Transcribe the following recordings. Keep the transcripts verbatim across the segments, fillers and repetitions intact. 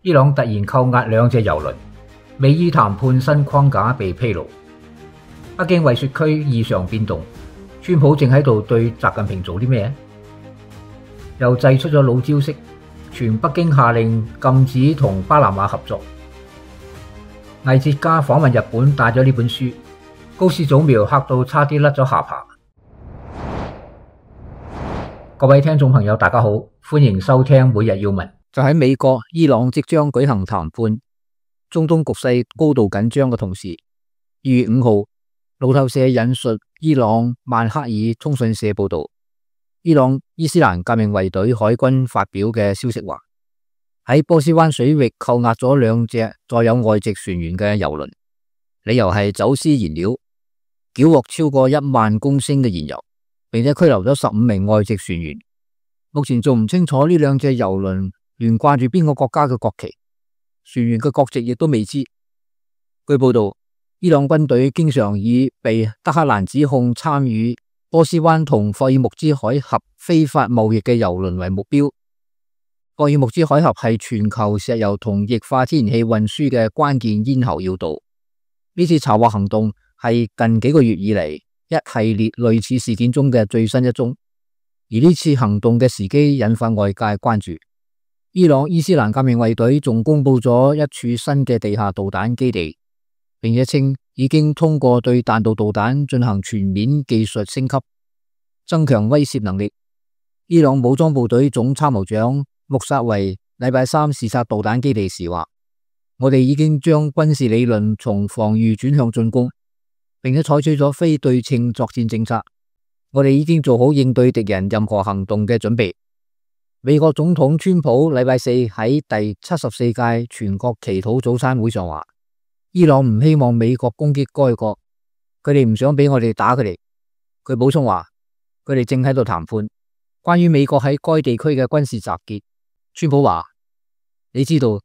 伊朗突然扣押兩隻油輪，美伊談判新框架被披露。北京惠雪區異常變動，川普正喺度對習近平做啲咩？又祭出咗老招式，全北京下令禁止同巴拿馬合作。藝哲家訪問日本帶咗呢本書，高市早苗嚇到差啲甩咗下巴。各位聽眾朋友大家好，歡迎收聽每日要聞。就喺美國、伊朗即將舉行談判，中東局勢高度緊張嘅同時，二月五號，路透社引述伊朗曼克爾通訊社報道，伊朗伊斯蘭革命衛隊海軍發表嘅消息話，喺波斯灣水域扣押咗兩隻載有外籍船員嘅油輪，理由係走私燃料，繳獲超過一萬公升嘅燃油，並且拘留咗十五名外籍船員。目前仲唔清楚呢兩隻油輪懸掛住邊個國家嘅國旗，船員嘅國籍亦都未知。據報道，伊朗軍隊經常以被德黑蘭指控參與波斯灣同霍爾木茲海峽非法貿易嘅油輪為目標。霍爾木茲海峽係全球石油同液化天然氣運輸嘅關鍵咽喉要道。呢次查獲行動係近幾個月以嚟一系列類似事件中嘅最新一宗，而呢次行動嘅時機引發外界關注。伊朗伊斯蘭革命衛隊仲公布咗一處新嘅地下導彈基地，並且稱已經通過對彈道導彈進行全面技術升級，增強威懾能力。伊朗武裝部隊總參謀長穆薩維禮拜三視察導彈基地時話：我哋已經將軍事理論從防禦轉向進攻，並且採取咗非對稱作戰政策。我哋已經做好應對敵人任何行動嘅準備。美國總統川普禮拜四喺第七十四屆全國祈禱早餐會上話，伊朗唔希望美國攻擊該國，佢哋唔想俾我哋打佢哋。佢補充話，佢哋正喺度談判關於美國喺該地區嘅軍事集結。川普話，你知道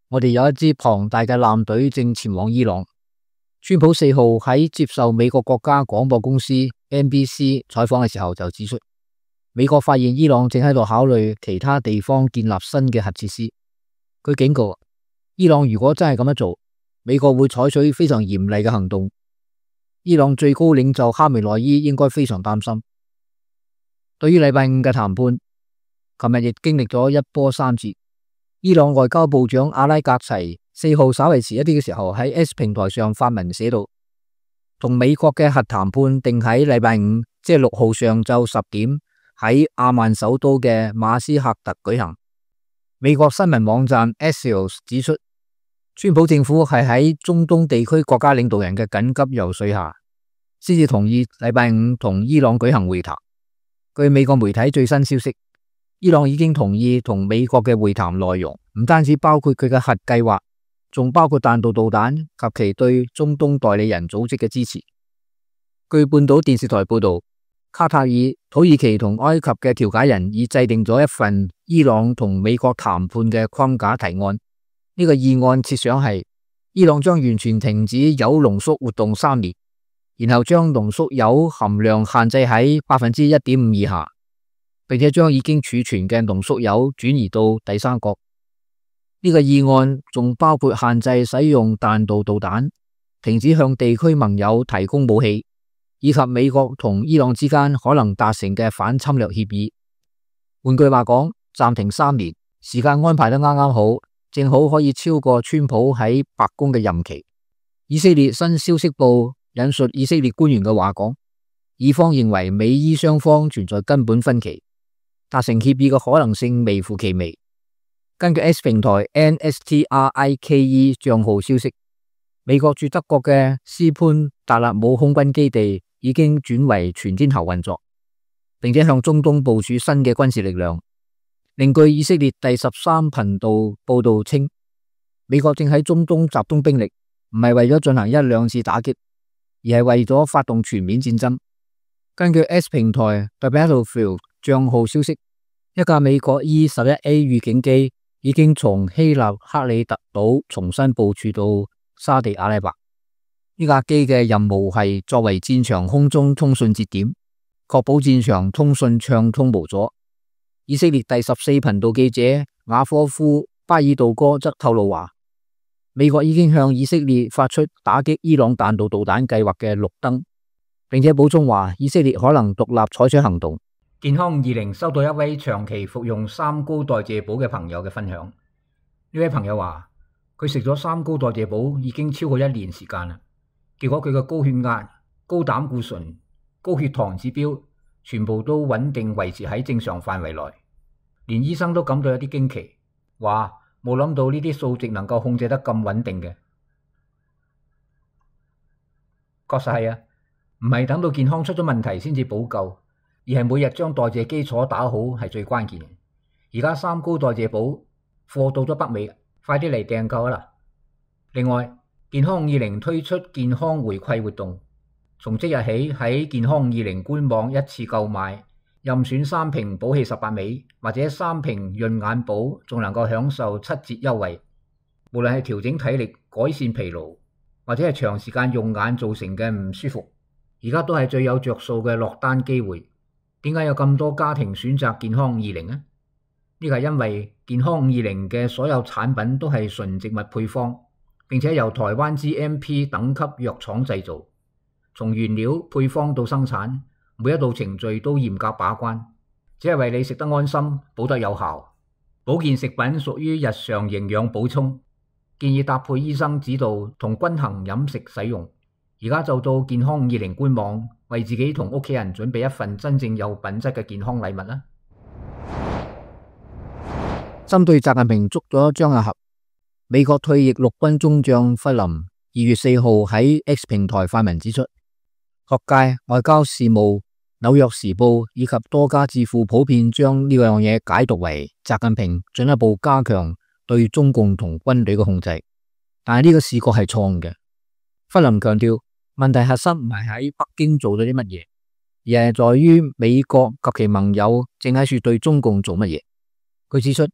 我哋有一支龐大嘅艦隊正前往伊朗。川普四號喺接受美國國家廣播公司 N B C 採訪嘅時候就指出，美國發現伊朗正喺度考慮其他地方建立新嘅核設施。佢警告，伊朗如果真係咁樣做，美國會採取非常嚴厲嘅行動。伊朗最高領袖哈梅內伊應該非常擔心。對於禮拜五嘅談判，琴日亦經歷咗一波三折。伊朗外交部長阿拉格齊四號稍為遲一啲嘅時候喺 X 平台上發文寫道，同美國嘅核談判定喺禮拜五，即係六號上晝十點喺阿曼首都嘅馬斯喀特舉行。美國新聞網站 Axios 指出，川普政府係喺中東地區國家領導人嘅緊急游說下，先至同意禮拜五同伊朗舉行會談。據美國媒體最新消息，伊朗已經同意同美國嘅會談內容，唔單止包括佢嘅核計劃，仲包括彈道導彈及其對中東代理人組織嘅支持。據半島電視台報道，卡塔爾、土耳其同埃及嘅調解人已制定咗一份伊朗同美國談判嘅框架提案。呢個議案設想係伊朗將完全停止鈾濃縮活動三年，然後將濃縮鈾含量限制喺百分之一點五以下，並且將已經儲存嘅濃縮鈾轉移到第三國。呢個議案仲包括限制使用彈道導彈，停止向地區盟友提供武器，以及美國同伊朗之間可能達成嘅反侵略協議。換句話講，暫停三年，時間安排得啱啱好，正好可以超過川普喺白宮嘅任期。以色列新消息報引述以色列官員嘅話講，以方認為美伊雙方存在根本分歧，達成協議嘅可能性微乎其微。根據 X 平台 N S T R I K E 賬號消息，美國駐德國嘅斯潘達勒姆空軍基地已經轉為全天候運作，並且向中東部署新嘅軍事力量。另據以色列第十三頻道報道稱，美國正喺中東集中兵力，唔係為咗進行一兩次打擊，而係為咗發動全面戰爭。根據 X 平台 The Battlefield 賬號消息，一架美國 E 十一 A 預警機已經從希臘克里特島重新部署到沙地阿拉伯。呢架機嘅任務係作為戰場空中通訊節點，確保戰場通訊暢通無阻。以色列第十四頻道記者雅科夫巴爾杜哥則透露話，美國已經向以色列發出打擊伊朗彈道導彈計劃嘅綠燈，並且補充話以色列可能獨立採取行動。健康二零收到一位長期服用三高代謝寶嘅朋友嘅分享，呢位朋友話佢食咗三高代謝寶已經超過一年時間啦，結果佢嘅高血壓、高膽固醇、高血糖指標全部都穩定維持喺正常範圍內，連醫生都感到有啲驚奇，話冇諗到呢啲數值能夠控制得咁穩定嘅。確實係啊，唔係等到健康出咗問題先至補救，而係每日將代謝基礎打好係最關鍵嘅。而家三高代謝寶貨到咗北美，快啲嚟訂購啦！另外，健康二零推出健康回饋活動，從即日起喺健康二零官網一次購買，任選三瓶寶氣十八味或者三瓶潤眼寶，仲能夠享受七折優惠。無論係調整體力、改善疲勞，或者係長時間用眼造成嘅唔舒服，而家都係最有着數嘅落單機會。點解有咁多家庭選擇健康二零呢？呢個係因為健康二零嘅所有產品都係純植物配方，並且由台灣 G M P 等級藥廠製造，從原料配方到生產，每一道程序都嚴格把關，只係為你食得安心，補得有效。保健食品屬於日常營養補充，建議搭配醫生指導同均衡飲食使用。而家就到健康二零官網，為自己同屋企人準備一份真正有品質嘅健康禮物啦。針對習近平捉咗張亞俠，美國退役陸軍中將弗林二月四號喺 X 平台發文指出，學界、外交事務、紐約時報以及多家智庫普遍將呢樣嘢解讀為習近平進一步加強對中共同軍隊嘅控制，但係呢個視覺係錯誤嘅。弗林強調，問題核心唔係喺北京做咗啲乜嘢，而係在於美國及其盟友正喺處對中共做乜嘢。佢指出，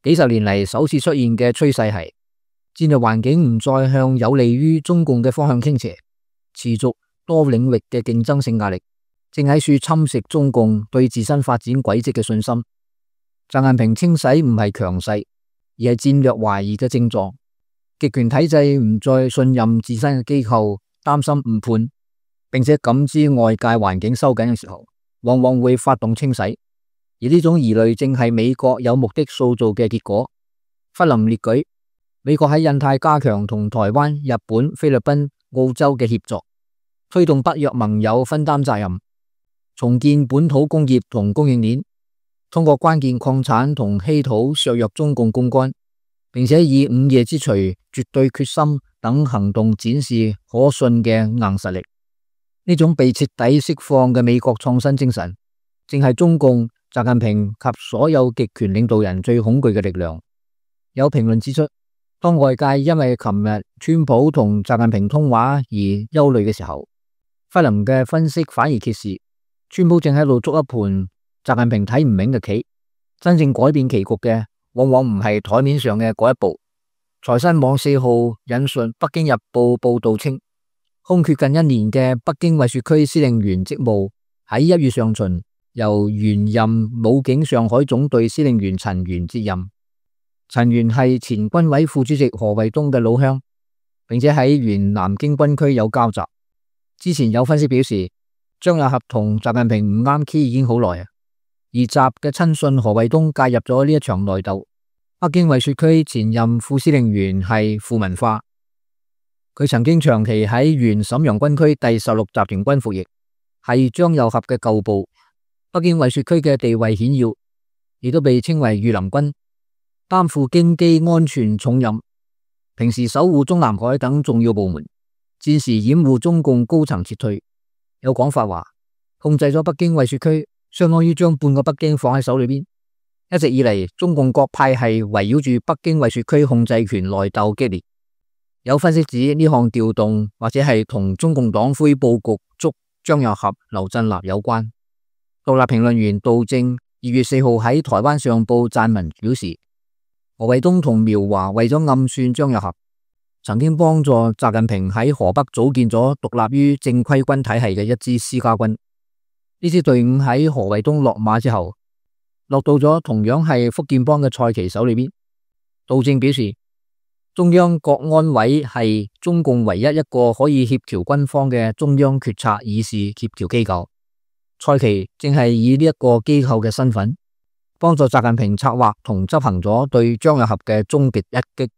幾十年嚟首次出現嘅趨勢係戰略環境唔再向有利於中共嘅方向傾斜，持續多領域嘅競爭性壓力正喺處侵蝕中共對自身發展軌跡嘅信心。習近平清洗唔係強勢，而係戰略懷疑嘅症狀。極權體制唔再信任自身嘅機構，擔心誤判，並且感知外界環境收緊嘅時候，往往會發動清洗。而呢種疑慮正係美國有目的塑造嘅結果。弗林列舉，美國喺印太加強同台灣、日本、菲律賓、澳洲嘅協作，推動北約盟友分擔責任，重建本土工業同供應鏈，通過關鍵礦產同稀土削弱中共槓桿，並且以午夜之錘、絕對決心等行動展示可信嘅硬實力。呢種被徹底釋放嘅美國創新精神，正係中共、習近平及所有極權領導人最恐懼嘅力量。有評論指出，當外界因為琴日川普同習近平通話而憂慮嘅時候，弗林嘅分析反而揭示，川普正喺度捉一盤習近平睇唔明嘅棋。真正改變棋局嘅，往往唔係台面上嘅嗰一步。財新網四號引述北京日報報道稱，空缺近一年嘅北京衛戍區司令員職務喺一月上旬由原任武警上海總隊司令員陳元接任。陳元係前軍委副主席何衛東嘅老鄉，並且喺原南京軍區有交集。之前有分析表示，張亞俠同習近平唔啱 key 已經好耐啊，而習嘅親信何衛東介入咗呢一場內鬥。北京衛戍區前任副司令員係傅文化，佢曾經長期喺原瀋陽軍區第十六集團軍服役，係張亞俠嘅舊部。北京衛戍區嘅地位顯要，亦都被稱為御林軍，擔負京畿安全重任，平時守護中南海等重要部門，戰時掩護中共高層撤退。有講法話，控制咗北京衛戍區，相當於將半個北京放喺手裏邊。一直以嚟，中共各派系圍繞住北京衛戍區控制權內鬥激烈。有分析指呢項調動或者係同中共黨魁布局捉張亞俠、劉振立有關。獨立評論員杜正二月四號喺台灣上報撰文表示，何衛東同苗華為咗暗算張亞俠，曾經幫助習近平喺河北組建咗獨立於正規軍體系嘅一支私家軍。呢支隊伍喺何衛東落馬之後，落到咗同樣係福建幫嘅蔡奇手裏邊。杜正表示，中央國安委係中共唯一一個可以協調軍方嘅中央決策議事協調機構。蔡奇正係以呢一個機構嘅身份，幫助習近平策劃同執行咗對張又俠嘅終極一擊。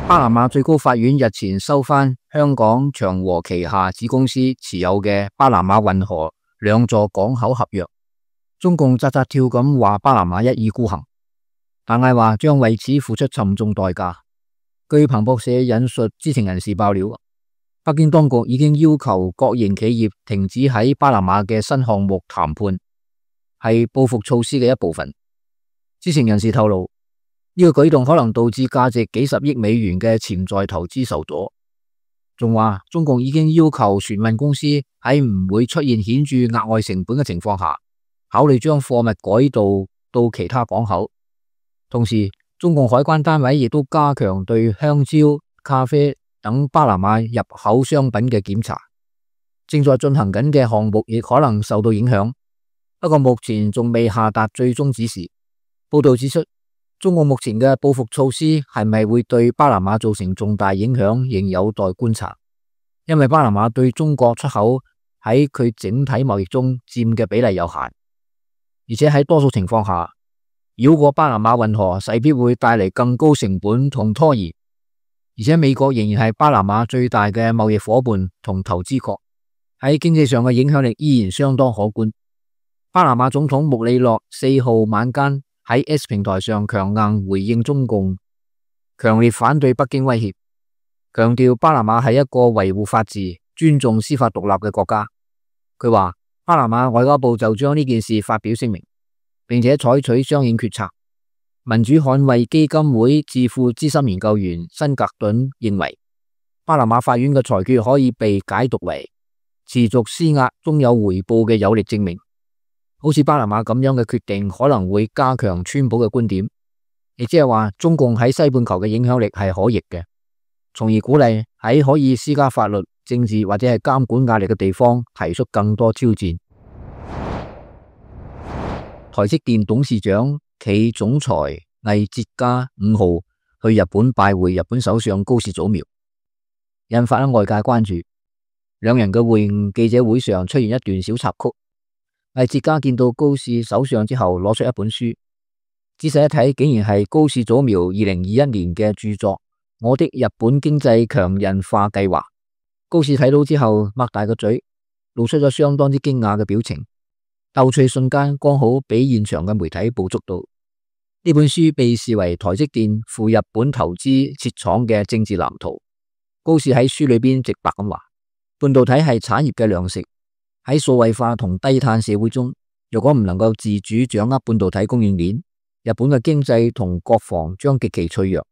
巴拿馬最高法院日前收返香港長和旗下子公司持有嘅巴拿馬運河兩座港口合約。中共扎扎跳咁話巴拿馬一意孤行，但係話將為此付出沉重代價。據彭博社引述知情人士爆料，北京當局已經要求國營企業停止喺巴拿馬嘅新項目談判，係報復措施嘅一部分。知情人士透露，呢個舉動可能導致價值幾十億美元嘅潛在投資受阻。仲話中共已經要求船運公司喺唔會出現顯著額外成本嘅情況下，考慮將貨物改道到其他港口。同時，中共海關單位亦都加強對香蕉、咖啡等巴拿馬入口商品嘅檢查。正在進行緊嘅項目亦可能受到影響，不過目前仲未下達最終指示。報道指出，中共目前嘅報復措施係咪會對巴拿馬造成重大影響，仍有待觀察。因為巴拿馬對中國出口喺佢整體貿易中佔嘅比例有限，而且喺多數情況下，繞過巴拿馬運河勢必會帶嚟更高成本同拖延。而且美國仍然係巴拿馬最大嘅貿易夥伴同投資國，喺經濟上嘅影響力依然相當可觀。巴拿馬總統穆里諾四號晚間喺 X 平台上強硬回應中共，強烈反對北京威脅，強調巴拿馬係一個維護法治、尊重司法獨立嘅國家。佢話巴拿馬外交部就將呢件事發表聲明，並且採取相應決策。民主捍衛基金會智庫資深研究員辛格頓認為，巴拿馬法院嘅裁決可以被解讀為持續施壓終有回報嘅有力證明。好似巴拿馬咁樣嘅決定可能會加強川普嘅觀點，亦即係話中共喺西半球嘅影響力係可逆嘅，從而鼓勵喺可以施加法律、政治或者係監管壓力嘅地方提出更多挑戰。台積電董事長暨總裁魏哲家五號去日本拜會日本首相高市早苗，引發咗外界關注。兩人嘅會晤記者會上出現一段小插曲。魏哲家見到高市首相之後，攞出一本書，仔細一睇，竟然係高市早苗二零二一年嘅著作《我的日本經濟強韌化計劃》。高市睇到之後，擘大個嘴，露出咗相當之驚訝嘅表情。逗趣瞬間剛好俾現場嘅媒體捕捉到。呢本書被視為台積電赴日本投資設廠嘅政治藍圖。高市喺書裏邊直白咁話，半導體係產業嘅糧食。喺數位化同低碳社會中，如果唔能夠自主掌握半導體供應鏈，日本嘅經濟同國防將極其脆弱。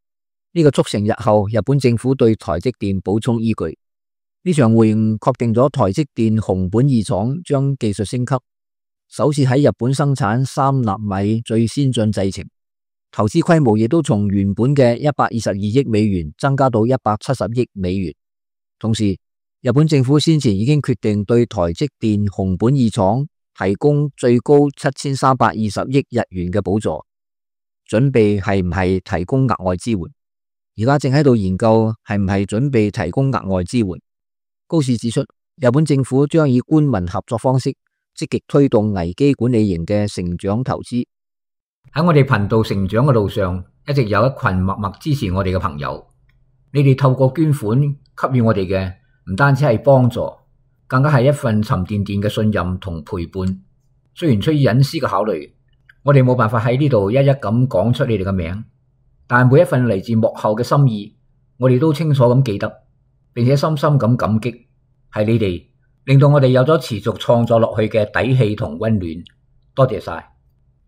呢個促成日後日本政府對台積電補充依據。呢場會晤確定咗台積電熊本二廠將技術升級，首次喺日本生產三納米最先進製程，投資規模亦都從原本嘅一百二十二億美元增加到一百七十億美元。同時，日本政府先前已經決定對台積電熊本二廠提供最高七千三百二十億日元嘅補助，準備係唔係提供額外支援。而家正喺度研究係唔係準備提供額外支援。高市指出，日本政府將以官民合作方式積極推動危機管理型嘅成長投資。喺我哋頻道成長嘅路上，一直有一群默默支持我哋嘅朋友。你哋透過捐款給予我哋嘅，唔單止係幫助，更加係一份沉甸甸嘅信任同陪伴。雖然出於隱私嘅考慮，我哋冇辦法喺呢度一一咁講出你哋嘅名，但每一份嚟自幕後嘅心意，我哋都清楚咁記得，並且深深咁感激。係你哋令到我哋有咗持續創作落去嘅底氣同溫暖。多謝晒。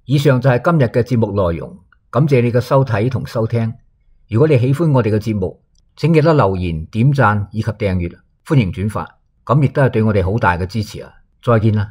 以上就係今日嘅節目內容，感謝你嘅收睇同收聽。如果你喜歡我哋嘅節目，請記得留言、點讚以及訂閱。歡迎轉發，咁亦都係對我哋好大嘅支持啊！再見啦。